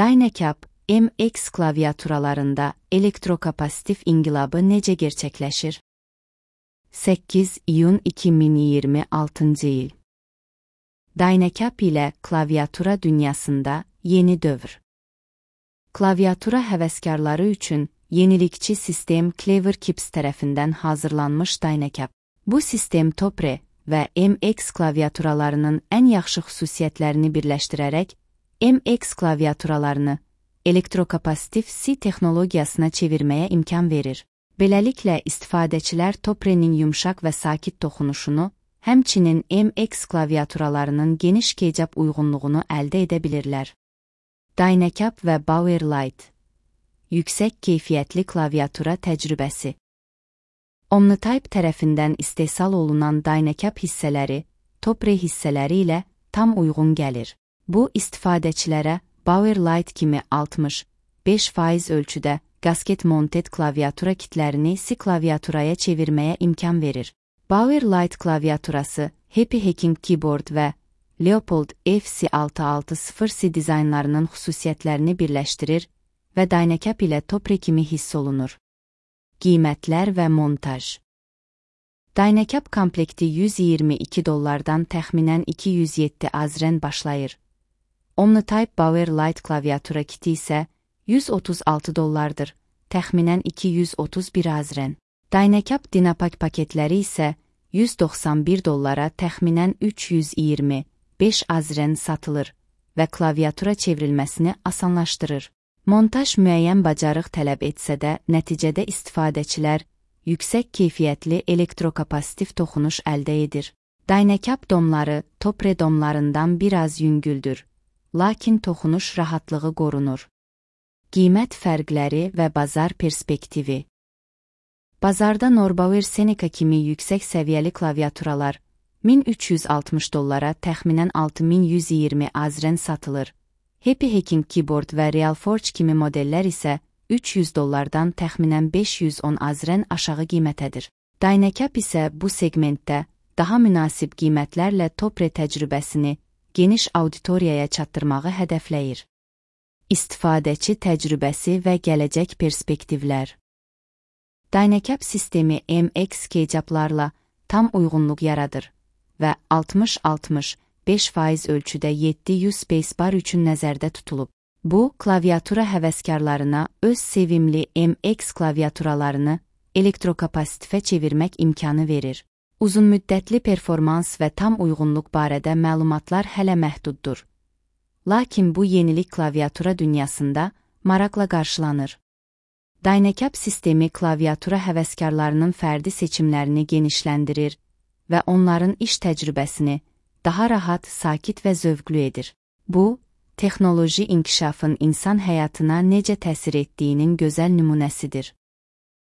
Dynacap, MX klaviaturalarında elektrokapasitif inqilabı necə gerçekleşir? 8 iyun 2026 il. Dynacap ile klaviatura dünyasında yeni dövr. Klaviatura həvəskarları üçün yenilikçi sistem Cleverkips tərəfindən hazırlanmış Dynacap. Bu sistem Topre və MX klaviaturalarının ən yaxşı xüsusiyyətlərini birləşdirərək MX klaviaturalarını elektrokapasitif C texnologiyasına çevirməyə imkan verir. Beləliklə, istifadəçilər Topre'nin yumşaq və sakit toxunuşunu, həmçinin MX klaviaturalarının geniş keycap uyğunluğunu əldə edə bilirlər. Dynacap və Powerlight. Yüksək keyfiyyətli klaviatura təcrübəsi. Omnitype tərəfindən istehsal olunan Dynacap hissələri, Topre hissələri ilə tam uyğun gəlir. Bu, istifadəçilərə Powerlight kimi 65% ölçüdə gasket monted klaviatura kitlərini C klaviaturaya çevirməyə imkan verir. Powerlight klaviaturası, Happy Hacking Keyboard və Leopold FC660C dizaynlarının xüsusiyyətlərini birləşdirir və Dynacap ilə Topre kimi hiss olunur. Qiymətlər və montaj. Dynacap komplekti $122 təxminən 207 azren başlayır. Omnitype Powerlight klaviatura kiti isə $136, təxminən 231 azren. Dynacap Dynapack paketləri isə $191, təxminən 325 azren satılır və klaviatura çevrilməsini asanlaşdırır. Montaj müəyyən bacarıq tələb etsə də, nəticədə istifadəçilər yüksək keyfiyyətli elektrokapasitiv toxunuş əldə edir. Dynacap domları Topre domlarından biraz yüngüldür, lakin toxunuş rahatlığı qorunur. Qiymət fərqləri və bazar perspektivi. Bazarda Norbauer Seneca kimi yüksək səviyyəli klaviaturalar $1360, təxminən 6120 azren satılır. Happy Hacking Keyboard və Realforge kimi modellər isə $300-dan təxminən 510 azren aşağı qiymətədir. Dynacap isə bu segmentdə daha münasib qiymətlərlə Topre təcrübəsini geniş auditoriyaya çatdırmağı hədəfləyir. İstifadəçi təcrübəsi və gələcək perspektivlər. Dynacap sistemi MX keycaplarla tam uyğunluq yaradır və 60-65% ölçüdə 700 spacebar üçün nəzərdə tutulub. Bu, klaviatura həvəskarlarına öz sevimli MX klaviaturalarını elektrokapasitifə çevirmək imkanı verir. Uzunmüddətli performans və tam uyğunluq barədə məlumatlar hələ məhduddur. Lakin bu yenilik klaviatura dünyasında maraqla qarşılanır. Dynacap sistemi klaviatura həvəskarlarının fərdi seçimlərini genişləndirir və onların iş təcrübəsini daha rahat, sakit və zövqlü edir. Bu, texnoloji inkişafın insan həyatına necə təsir etdiyinin gözəl nümunəsidir.